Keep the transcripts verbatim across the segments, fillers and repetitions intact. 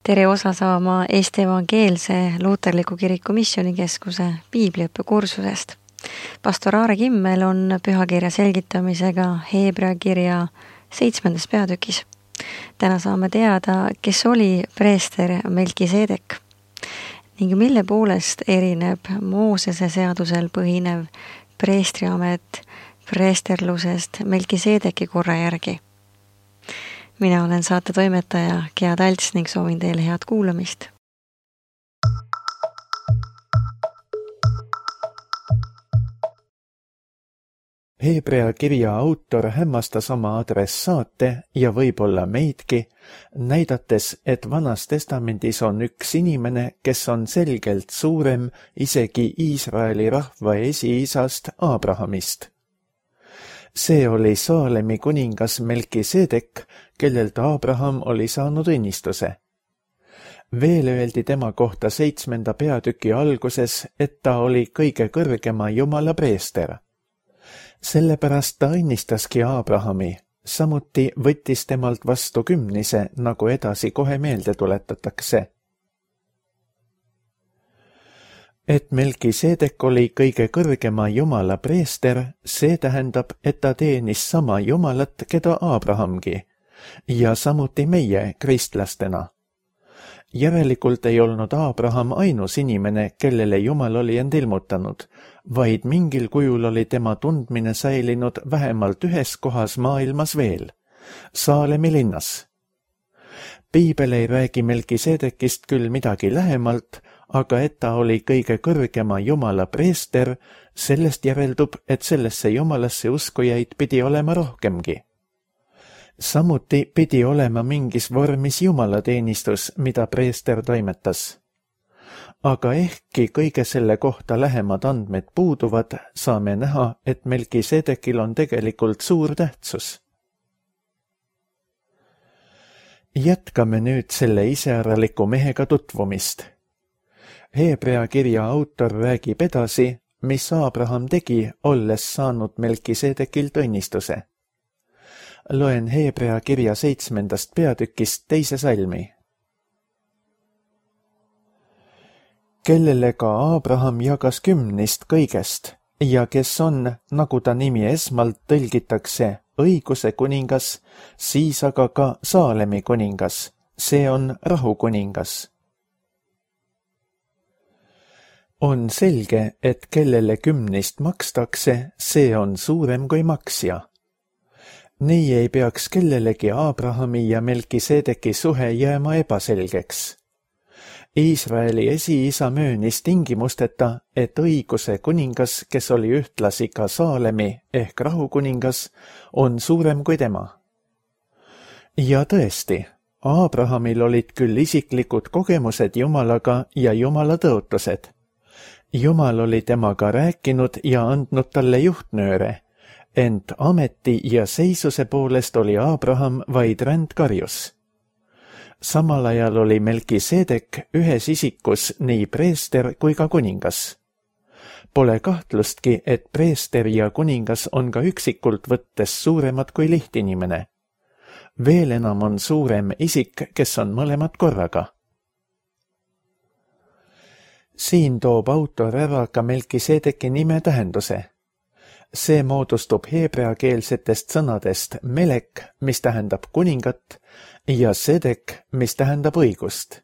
tere osa saama Eesti Evangeelse Luuterliku Kiriku Missioonikeskuse piibliõppekursusest. Pastor Aare Kimmel on pühakirja selgitamisega Heebrea kirja seitsmendas peatükis. Täna saame teada, kes oli preester Melkisedek ning mille poolest erineb Moosese seadusel põhinev preestriamet preesterlusest Melkisedeki korra järgi. Mina olen saate toimetaja Gea Talts ning soovin teile head kuulamist. Heebrea kirja autor hämmastas oma adressaate ja võib-olla meidki, näidates, et Vanas testamendis on üks inimene, kes on selgelt suurem isegi Iisraeli rahva esiisast Abrahamist. See oli Saalemi kuningas Melkisedek, kellelt Abraham oli saanud õnnistuse. Veel öeldi tema kohta seitsmenda peatüki alguses, et ta oli kõige kõrgema Jumala preester. Sellepärast ta õnnistaski Abrahami, samuti võttis temalt vastu kümnise, nagu edasi kohe meelde tuletatakse. Et Melkisedek oli kõige kõrgema Jumala preester, see tähendab, et ta teenis sama Jumalat, keda Abrahamgi, ja samuti meie kristlastena. Järelikult ei olnud Abraham ainus inimene, kellele Jumal oli end ilmutanud, vaid mingil kujul oli tema tundmine säilinud vähemalt ühes kohas maailmas veel, Saalemi linnas. Piibel ei räägi Melkisedekist küll midagi lähemalt, aga et ta oli kõige kõrgema Jumala preester, sellest järeldub, et sellesse Jumalasse uskujaid pidi olema rohkemgi. Samuti pidi olema mingis vormis jumalateenistus, mida preester toimetas. Aga ehkki kõige selle kohta lähemad andmed puuduvad, saame näha, et Melkisedekil on tegelikult suur tähtsus. Jätkame nüüd selle iseäraliku mehega tutvumist. Heebrea kirja autor räägib edasi, mis Abraham tegi, olles saanud Melkisedekilt õnnistuse. Loen Heebrea kirja seitsmendast peatükist teise salmi. Kellele ka Abraham jagas kümnist kõigest ja kes on, nagu ta nimi esmalt tõlgitakse, õiguse kuningas, siis aga ka Saalemi kuningas, see on rahu kuningas. On selge, et kellele kümnist makstakse, see on suurem kui maksja. Nii ei peaks kellelegi Abrahami ja Melkisedeki suhe jääma ebaselgeks. Iisraeli esiisa möönis tingimusteta, et õiguse kuningas, kes oli ühtlasi ka Saalemi ehk rahukuningas, on suurem kui tema. Ja tõesti, Abrahamil olid küll isiklikud kogemused Jumalaga ja Jumala tõotused. Jumal oli temaga rääkinud ja andnud talle juhtnööre, ent ameti ja seisuse poolest oli Abraham vaid rändkarjus. Samal ajal oli Melkisedek ühes isikus nii preester kui ka kuningas. Pole kahtlustki, et preester ja kuningas on ka üksikult võttes suuremad kui lihtinimene. Veel enam on suurem isik, kes on mõlemad korraga. Siin toob autor ära ka Melkisedeki nime tähenduse. See moodustub heebreakeelsetest sõnadest melek, mis tähendab kuningat, ja sedek, mis tähendab õigust.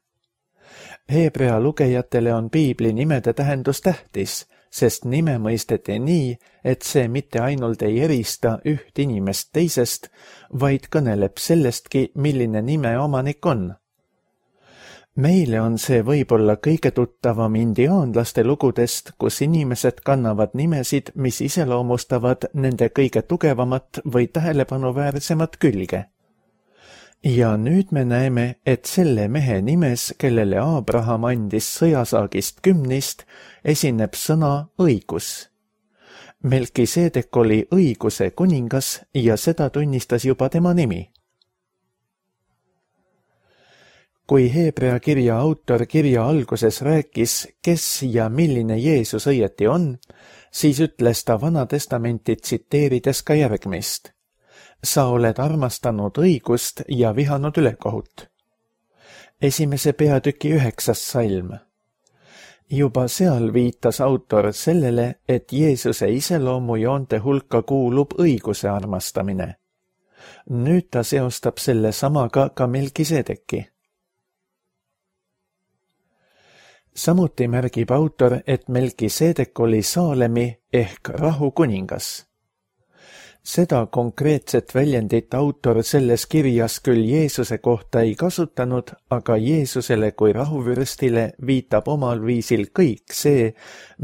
Heebrea lugejatele on piibli nimede tähendus tähtis, sest nime mõisteti nii, et see mitte ainult ei erista üht inimest teisest, vaid kõneleb sellestki, milline nime omanik on. Meile on see võib-olla kõige tuttavam indiaanlaste lugudest, kus inimesed kannavad nimesid, mis iseloomustavad nende kõige tugevamat või tähelepanuväärsemat külge. Ja nüüd me näeme, et selle mehe nimes, kellele Abraham andis sõjasaagist kümnist, esineb sõna õigus. Melkisedek oli õiguse kuningas ja seda tunnistas juba tema nimi. Kui Heebrea kirja autor kirja alguses rääkis, kes ja milline Jeesus õieti on, siis ütles ta Vana Testamenti tsiteerides ka järgmist. Sa oled armastanud õigust ja vihanud ülekohut. esimese peatüki üheksas salm. Juba seal viitas autor sellele, et Jeesuse iseloomujoonte hulka kuulub õiguse armastamine. Nüüd ta seostab selle samaga ka Melkisedeki. Samuti märgib autor, et Melkisedek oli Saalemi ehk rahu kuningas. Seda konkreetset väljendit autor selles kirjas küll Jeesuse kohta ei kasutanud, aga Jeesusele kui rahuvürstile viitab omal viisil kõik see,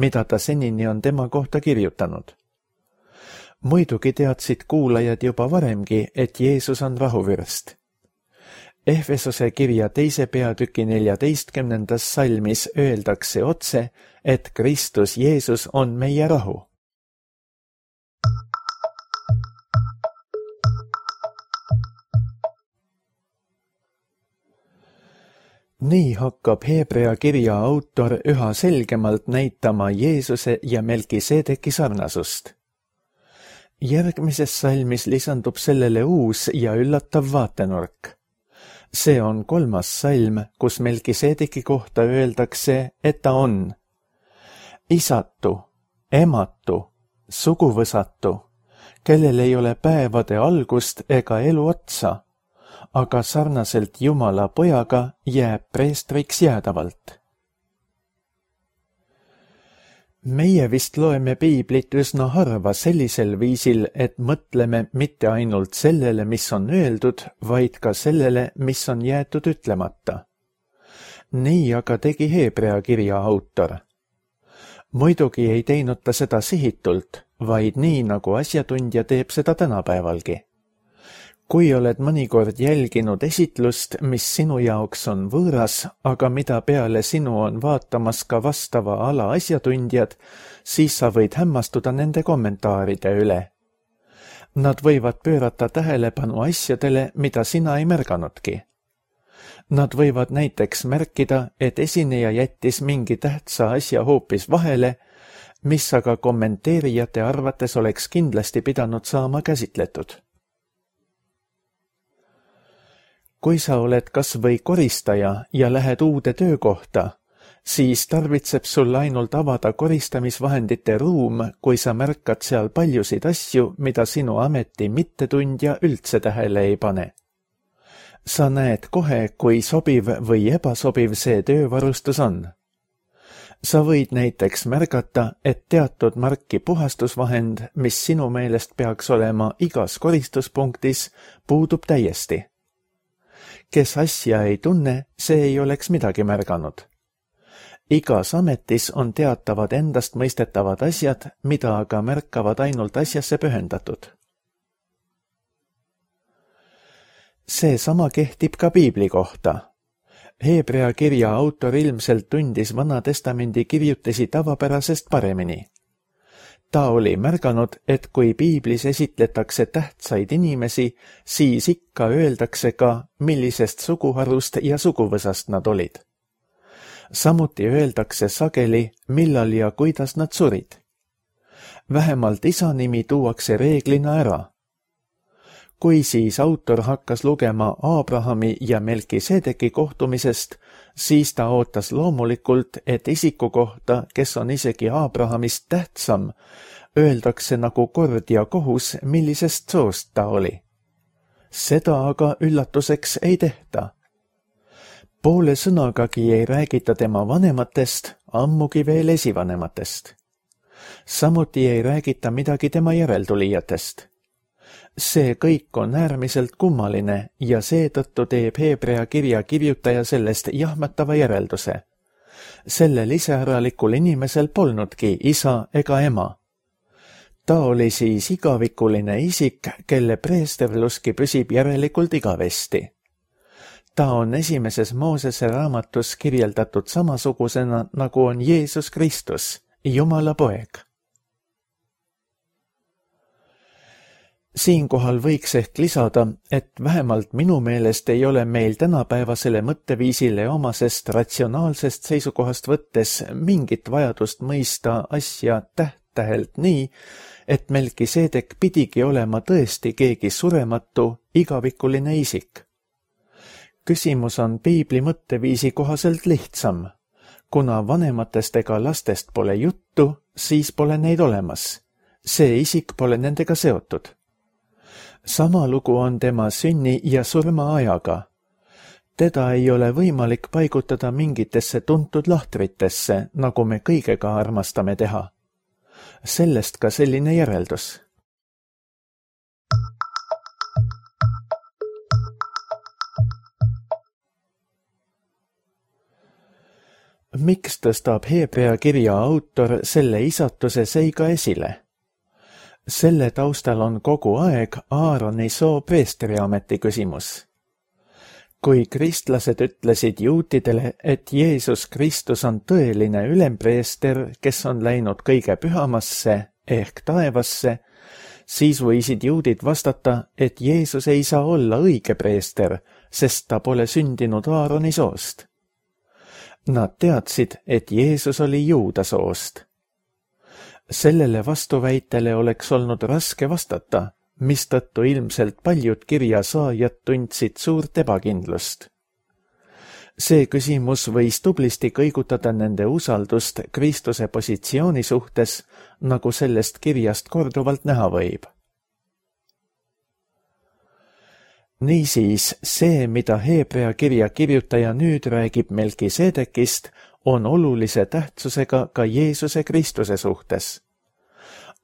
mida ta senini on tema kohta kirjutanud. Muidugi teadsid kuulajad juba varemgi, et Jeesus on rahuvürst. Ehvesose kirja teise peatüki neljateistkümnendas salmis öeldakse otse, et Kristus Jeesus on meie rahu. Nii hakkab Hebrea kirja autor üha selgemalt näitama Jeesuse ja Melkisedeki sarnasust. Järgmises salmis lisandub sellele uus ja üllatav vaatenurk. See on kolmas salm, kus Melkisedeki kohta öeldakse, et ta on isatu, ematu, suguvõsatu, kellel ei ole päevade algust ega elu otsa, aga sarnaselt Jumala pojaga jääb preestriks jäädavalt. Meie vist loeme piiblit üsna harva sellisel viisil, et mõtleme mitte ainult sellele, mis on öeldud, vaid ka sellele, mis on jäetud ütlemata. Nii aga tegi Hebrea kirja autor. Muidugi ei teinud ta seda sihitult, vaid nii, nagu asjatundja teeb seda tänapäevalgi. Kui oled mõnikord jälginud esitlust, mis sinu jaoks on võõras, aga mida peale sinu on vaatamas ka vastava ala asjatundjad, siis sa võid hämmastuda nende kommentaaride üle. Nad võivad pöörata tähelepanu asjadele, mida sina ei märganudki. Nad võivad näiteks märkida, et esineja jättis mingi tähtsa asja hoopis vahele, mis aga kommenteerijate arvates oleks kindlasti pidanud saama käsitletud. Kui sa oled kas või koristaja ja lähed uude töökohta, siis tarvitseb sul ainult avada koristamisvahendite ruum, kui sa märkad seal paljusid asju, mida sinu ameti mittetundja üldse tähele ei pane. Sa näed kohe, kui sobiv või ebasobiv see töövarustus on. Sa võid näiteks märgata, et teatud marki puhastusvahend, mis sinu meelest peaks olema igas koristuspunktis, puudub täiesti. Kes asja ei tunne, see ei oleks midagi märganud. Igas ametis on teatavad endast mõistetavad asjad, mida aga märkavad ainult asjasse pühendatud. See sama kehtib ka piibli kohta. Hebrea kirja autor ilmselt tundis Vana Testamendi kirjutisi tavapärasest paremini. Ta oli märganud, et kui piiblis esitletakse tähtsaid inimesi, siis ikka öeldakse ka, millisest suguharust ja suguvõsast nad olid. Samuti öeldakse sageli, millal ja kuidas nad surid. Vähemalt isa nimi tuuakse reeglina ära. Kui siis autor hakkas lugema Abrahami ja Melkisedeki kohtumisest, siis ta ootas loomulikult, et isiku kohta, kes on isegi Abrahamist tähtsam, öeldakse nagu kord ja kohus, millisest soost ta oli. Seda aga üllatuseks ei tehta. Poole sõnagagi ei räägita tema vanematest, ammugi veel esivanematest. Samuti ei räägita midagi tema järeltulijatest. See kõik on äärmiselt kummaline ja seetõttu teeb Hebrea kirja kirjutaja sellest jahmatava järelduse. Sellel iseäralikul inimesel polnudki isa ega ema. Ta oli siis igavikuline isik, kelle preesterluski püsib järelikult igavesti. Ta on esimeses Moosese raamatus kirjeldatud samasugusena, nagu on Jeesus Kristus, Jumala poeg. Siinkohal võiks ehk lisada, et vähemalt minu meelest ei ole meil tänapäevasele mõtteviisile omasest ratsionaalsest seisukohast võttes mingit vajadust mõista asja täht-tähelt nii, et Melkisedek pidigi olema tõesti keegi surematu, igavikuline isik. Küsimus on piibli mõtteviisi kohaselt lihtsam. Kuna vanematest ega lastest pole juttu, siis pole neid olemas. See isik pole nendega seotud. Sama lugu on tema sünni ja surma ajaga. Teda ei ole võimalik paigutada mingitesse tuntud lahtritesse, nagu me kõigega armastame teha. Sellest ka selline järeldus. Miks tõstab Hebrea kirja autor selle isatuse seiga esile? Selle taustal on kogu aeg Aaroni soo preestriameti küsimus. Kui kristlased ütlesid juutidele, et Jeesus Kristus on tõeline ülempreester, kes on läinud kõige pühamasse ehk taevasse, siis võisid juudid vastata, et Jeesus ei saa olla õige preester, sest ta pole sündinud Aaroni soost. Nad teadsid, et Jeesus oli juuda soost. Sellele vastuväitele oleks olnud raske vastata, mistõttu ilmselt paljud kirja saajad tundsid suurt ebakindlust. See küsimus võis tublisti kõigutada nende usaldust Kristuse positsiooni suhtes, nagu sellest kirjast korduvalt näha võib. Niisiis, see, mida Hebrea kirja kirjutaja nüüd räägib Melkisedekist, on olulise tähtsusega ka Jeesuse Kristuse suhtes.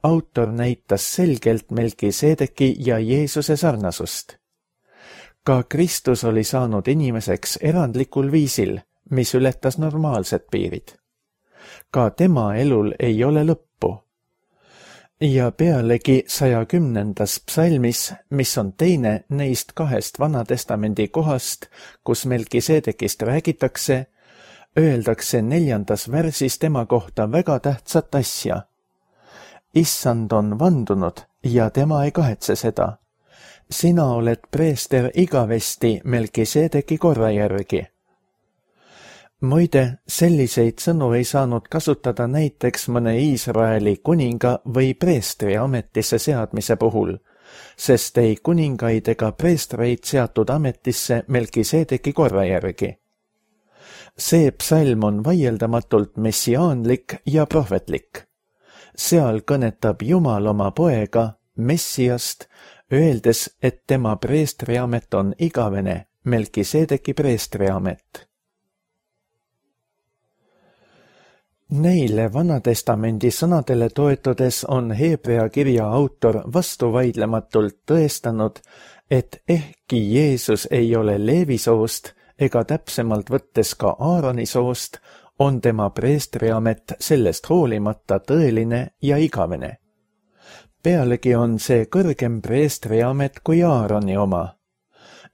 Autor näitas selgelt Melkisedeki ja Jeesuse sarnasust. Ka Kristus oli saanud inimeseks erandlikul viisil, mis ületas normaalsed piirid. Ka tema elul ei ole lõppu. Ja pealegi saja kümnendas psalmis, mis on teine neist kahest Vanatestamendi kohast, kus Melkisedekist räägitakse, öeldakse neljandas värsis tema kohta väga tähtsat asja. Issand on vandunud ja tema ei kahetse seda. Sina oled preester igavesti Melkisedeki korra järgi. Muide, selliseid sõnu ei saanud kasutada näiteks mõne Iisraeli kuninga või preestri ametisse seadmise puhul, sest ei kuningaid ega preestreid seatud ametisse Melkisedeki korra järgi. See psalm on vaieldamatult messiaanlik ja prohvetlik. Seal kõnetab Jumal oma poega, Messiast, öeldes, et tema preestriamet on igavene, Melkisedeki preestriamet. Neile Vanatestamendi sõnadele toetudes on Hebrea kirja autor vastuvaidlematult tõestanud, et ehkki Jeesus ei ole Leevi soost ega täpsemalt võttes ka Aaroni soost, on tema preestriamet sellest hoolimata tõeline ja igavene. Pealegi on see kõrgem preestriamet kui Aaroni oma.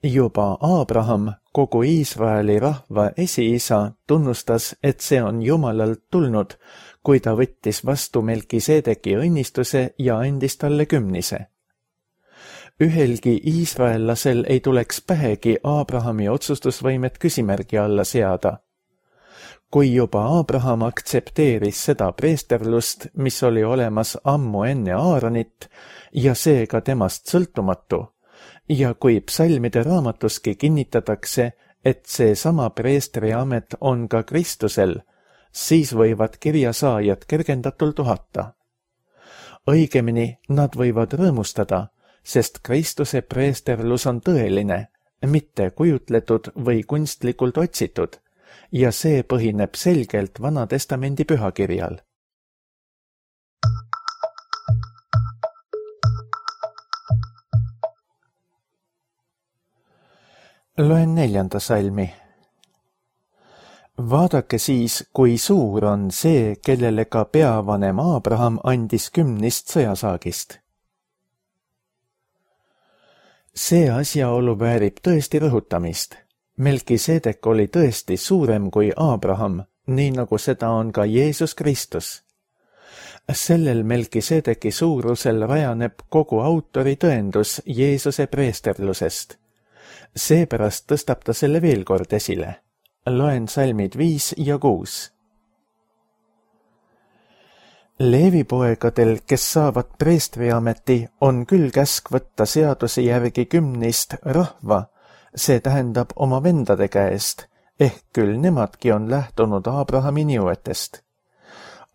Juba Abraham, kogu Iisraeli rahva esiisa, tunnustas, et see on Jumalalt tulnud, kui ta võttis vastu Melkisedeki õnnistuse ja andis talle kümnise. Ühelgi iisraellasel ei tuleks pähegi Abrahami otsustusvõimet küsimärgi alla seada. Kui juba Abraham aktsepteeris seda preesterlust, mis oli olemas ammu enne Aaronit ja seega temast sõltumatu, ja kui psalmide raamatuski kinnitatakse, et see sama preestriamet on ka Kristusel, siis võivad kirjasaajad kergendatult uhata. Õigemini nad võivad rõõmustada, sest Kristuse preesterlus on tõeline, mitte kujutletud või kunstlikult otsitud, ja see põhineb selgelt Vanatestamendi pühakirjal. Loen neljanda salmi. Vaadake siis, kui suur on see, kellele ka peavanem Abraham andis kümnist sõjasaagist. See asjaolu väärib tõesti rõhutamist. Melkisedek oli tõesti suurem kui Abraham, nii nagu seda on ka Jeesus Kristus. Sellel Melkisedeki suurusel rajaneb kogu autori tõendus Jeesuse preesterlusest. Seepärast tõstab ta selle veel kord esile. Loen salmid viis ja kuus. Leevi poegadel, kes saavad preestriameti, on küll käsk võtta seaduse järgi kümnist rahva, see tähendab oma vendade käest, ehk küll nemadki on lähtunud Abrahami nõuetest.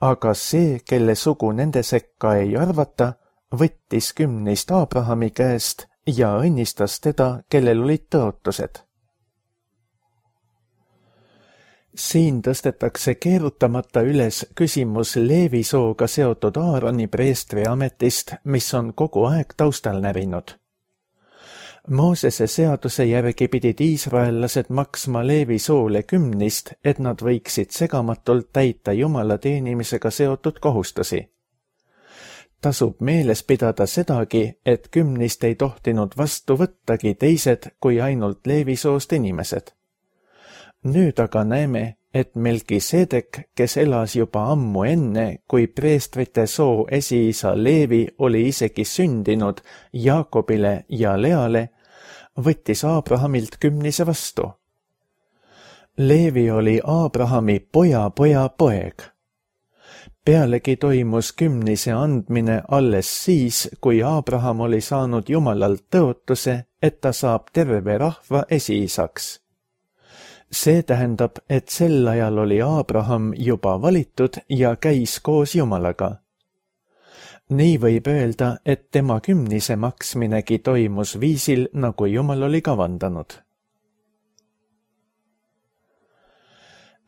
Aga see, kelle sugu nende sekka ei arvata, võttis kümnist Abrahami käest ja õnnistas teda, kellel olid tõotused. Siin tõstetakse keerutamata üles küsimus Leevi sooga seotud Aaroni preestri ametist, mis on kogu aeg taustal närinud. Moosese seaduse järgi pidid iisraellased maksma Leevi soole kümnist, et nad võiksid segamatult täita Jumala teenimisega seotud kohustusi. Tasub meeles pidada sedagi, et kümnist ei tohtinud vastu võttagi teised kui ainult Leevi soost inimesed. Nüüd aga näeme, et Melkisedek, kes elas juba ammu enne, kui preestrite soo esiisa Leevi oli isegi sündinud Jaakobile ja Leale, võttis Abrahamilt kümnise vastu. Leevi oli Abrahami poja poja poeg. Pealegi toimus kümnise andmine alles siis, kui Abraham oli saanud Jumalalt tõotuse, et ta saab terve rahva esiisaks. See tähendab, et sel ajal oli Abraham juba valitud ja käis koos Jumalaga. Nii võib öelda, et tema kümnise maksminegi toimus viisil, nagu Jumal oli kavandanud.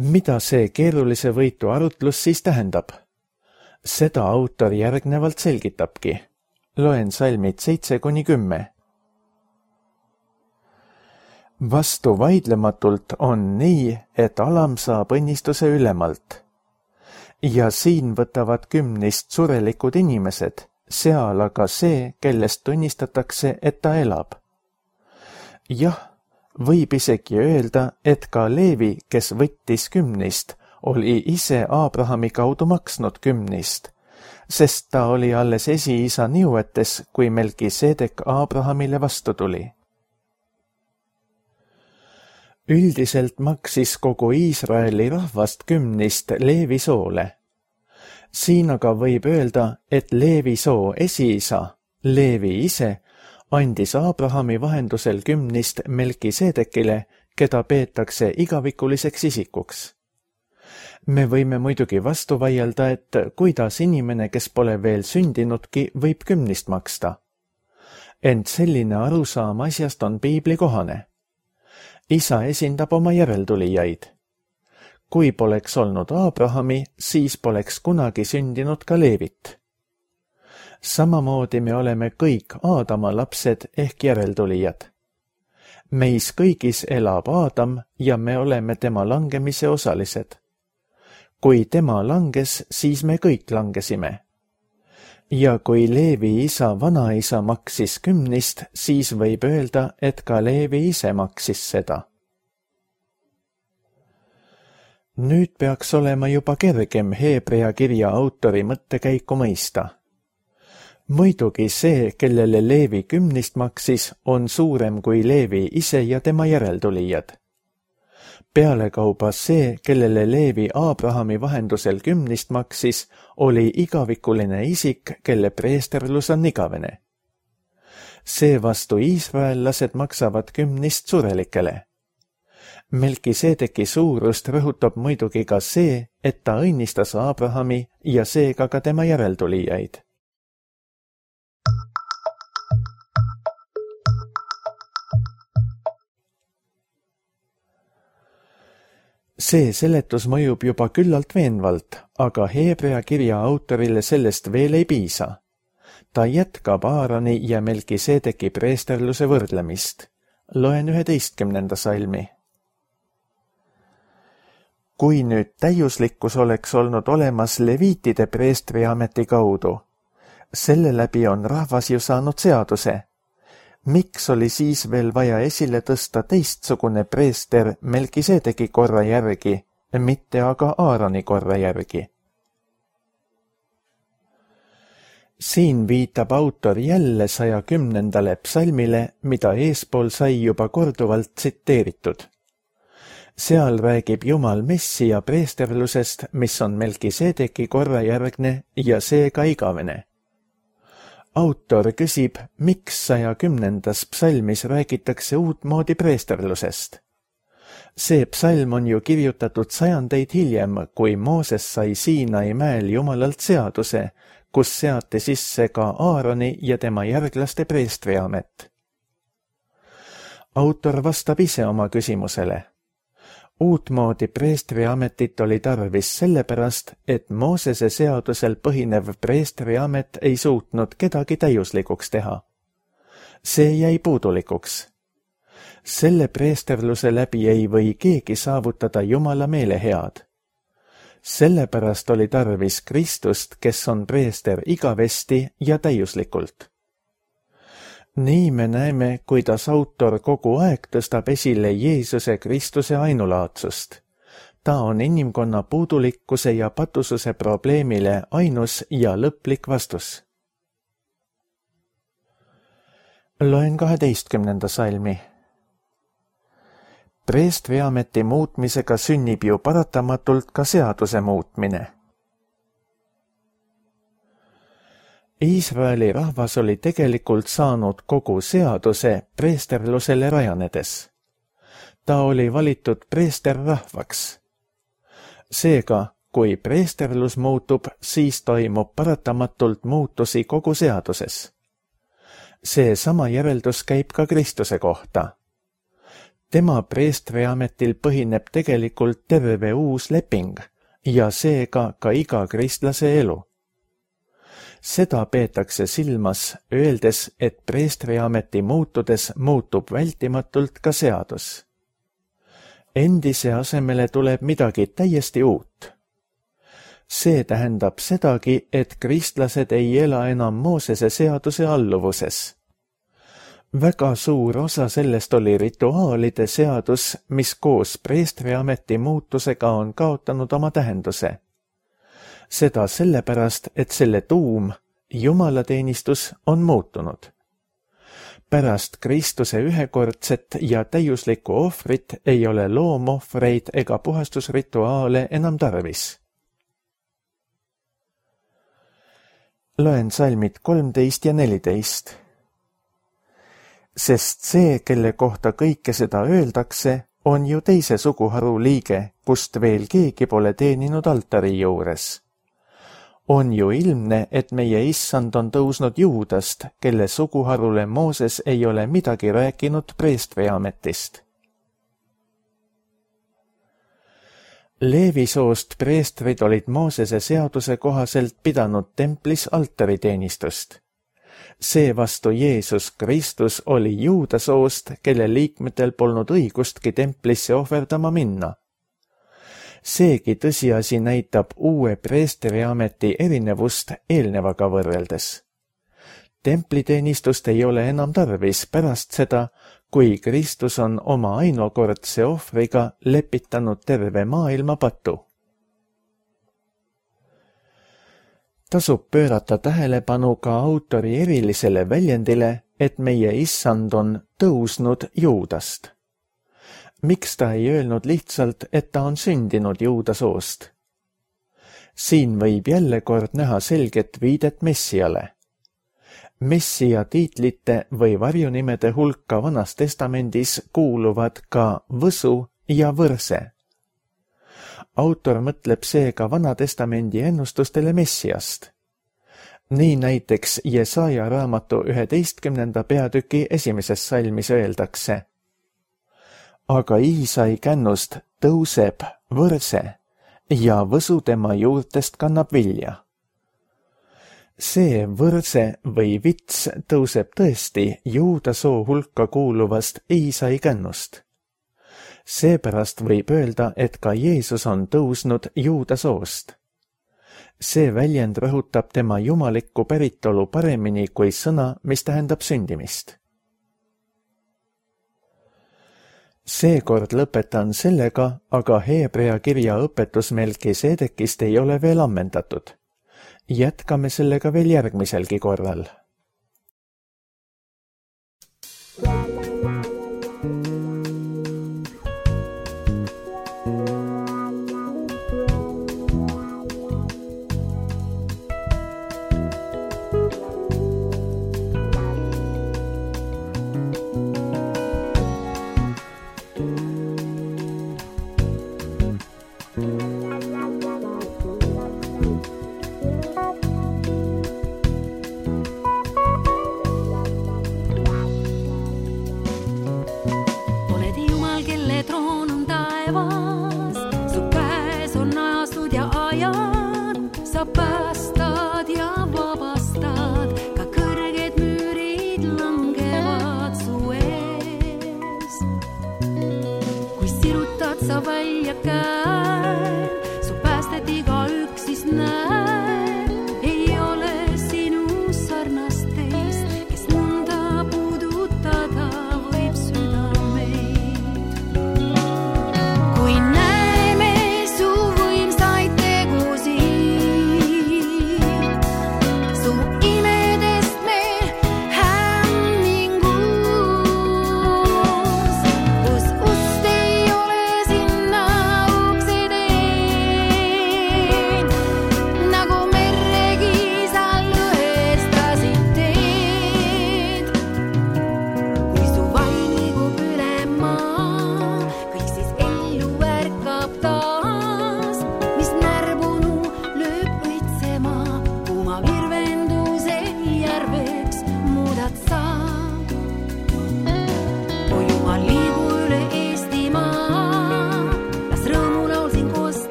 Mida see keerulise võitu arutlus siis tähendab? Seda autor järgnevalt selgitabki. Loen salmid seitse kuni kümme. Vastu vaidlematult on nii, et alam saab õnnistuse ülemalt. Ja siin võtavad kümnist surelikud inimesed, seal aga see, kellest tunnistatakse, et ta elab. Jah, võib isegi öelda, et ka Leevi, kes võttis kümnist, oli ise Abrahami kaudu maksnud kümnist, sest ta oli alles esiisa nõuetes, kui Melkisedek Abrahamile vastu tuli. Üldiselt maksis kogu Iisraeli rahvast kümnist Leevi soole. Siin aga võib öelda, et Leevi soo esiisa, Leevi ise, andis Abrahami vahendusel kümnist Melkisedekile, keda peetakse igavikuliseks isikuks. Me võime muidugi vastu vaielda, et kuidas inimene, kes pole veel sündinudki, võib kümnist maksta. Ent selline arusaam asjast on piibli kohane. Isa esindab oma järeltulijaid. Kui poleks olnud Abrahami, siis poleks kunagi sündinud ka Leevit. Samamoodi me oleme kõik Aadama lapsed ehk järeltulijad. Meis kõigis elab Aadam ja me oleme tema langemise osalised. Kui tema langes, siis me kõik langesime. Ja kui Leevi isa vanaisa maksis kümnist, siis võib öelda, et ka Leevi ise maksis seda. Nüüd peaks olema juba kergem Heebrea kirja autori mõttekäiku mõista. Muidugi see, kellele Leevi kümnist maksis, on suurem kui Leevi ise ja tema järeltulijad. Pealekauba see, kellele Leevi Abrahami vahendusel kümnist maksis, oli igavikuline isik, kelle preesterlus on igavene. Seevastu iisraellased maksavad kümnist surelikele. Melkisedeki suurust rõhutab muidugi ka see, et ta õnnistas Abrahami ja seega ka tema järeltulijaid. See seletus mõjub juba küllalt veenvalt, aga Heebrea kirja autorile sellest veel ei piisa. Ta jätkab Aaroni ja Melkisedeki preesterluse võrdlemist. Loen üheteistkümnenda salmi. Kui nüüd täiuslikkus oleks olnud olemas leviitide preestriameti kaudu, selle läbi on rahvas ju saanud seaduse. Miks oli siis veel vaja esile tõsta teistsugune preester Melkisedeki korra järgi, mitte aga Aaroni korra järgi? Siin viitab autor jälle saja kümnendale psalmile, mida eespool sai juba korduvalt tsiteeritud. Seal räägib Jumal Messija preesterlusest, mis on Melkisedeki korra järgne ja seega igavene. autor küsib, miks saja kümnendas psalmis räägitakse uutmoodi preesterlusest. See psalm on ju kirjutatud sajandeid hiljem, kui Mooses sai Siinai mäel Jumalalt seaduse, kus seati sisse ka Aaroni ja tema järglaste preestriamet. Autor vastab ise oma küsimusele. Uutmoodi preestriametit oli tarvis sellepärast, et Moosese seadusel põhinev preestriamet ei suutnud kedagi täiuslikuks teha. See jäi puudulikuks. Selle preesterluse läbi ei või keegi saavutada Jumala meelehead. Sellepärast oli tarvis Kristust, kes on preester igavesti ja täiuslikult. Nii me näeme, kuidas autor kogu aeg tõstab esile Jeesuse Kristuse ainulaadsust. Ta on inimkonna puudulikkuse ja patususe probleemile ainus ja lõplik vastus. Loen kaheteistkümnenda salmi. Preestriameti muutmisega sünnib ju paratamatult ka seaduse muutmine. Iisraeli rahvas oli tegelikult saanud kogu seaduse preesterlusele rajanedes. Ta oli valitud preesterrahvaks. Seega, kui preesterlus muutub, siis toimub paratamatult muutusi kogu seaduses. See sama järeldus käib ka Kristuse kohta. Tema preestriametil põhineb tegelikult terve uus leping ja seega ka iga kristlase elu. Seda peetakse silmas, öeldes, et preestriameti muutudes muutub vältimatult ka seadus. Endise asemele tuleb midagi täiesti uut. See tähendab sedagi, et kristlased ei ela enam Moosese seaduse alluvuses. Väga suur osa sellest oli rituaalide seadus, mis koos preestriameti muutusega on kaotanud oma tähenduse. Seda sellepärast, et selle tuum, jumalateenistus, on muutunud. Pärast Kristuse ühekordset ja täiuslikku ohvrit ei ole loomohvreid ega puhastusrituaale enam tarvis. Loen salmid kolmteist ja neliteist. Sest see, kelle kohta kõike seda öeldakse, on ju teise suguharu liige, kust veel keegi pole teeninud altari juures. On ju ilmne, et meie issand on tõusnud Juudast, kelle suguharule Mooses ei ole midagi rääkinud preestriametist. Leevi soost preestrid olid Moosese seaduse kohaselt pidanud templis altariteenistust. Seevastu Jeesus Kristus oli Juuda soost, kelle liikmetel polnud õigustki templisse ohverdama minna. Seegi tõsiasi näitab uue preestriameti erinevust eelnevaga võrreldes. Templiteenistust ei ole enam tarvis pärast seda, kui Kristus on oma ainukordse ohvriga lepitanud terve maailma patu. Tasub pöörata tähelepanu ka autori erilisele väljendile, et meie issand on tõusnud Juudast. Miks ta ei öelnud lihtsalt, et ta on sündinud Juuda soost? Siin võib jälle kord näha selget viidet Messiale. Messia tiitlite või varjunimede hulka Vanas Testamendis kuuluvad ka Võsu ja Võrse. Autor mõtleb seega Vana Testamendi ennustustele Messiast. Nii näiteks Jesaja raamatu üheteistkümnenda peatüki esimeses salmis öeldakse: aga Iisai kännust tõuseb Võrse ja Võsu tema juurtest kannab vilja. See Võrse või vits tõuseb tõesti Juuda soo hulka kuuluvast Iisai kännust. Seepärast võib öelda, et ka Jeesus on tõusnud Juuda soost. See väljend rõhutab tema jumalikku päritolu paremini kui sõna, mis tähendab sündimist. Seekord lõpetan sellega, aga Heebrea kirja õpetus Melkisedekist ei ole veel ammendatud. Jätkame sellega veel järgmiselgi korral.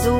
So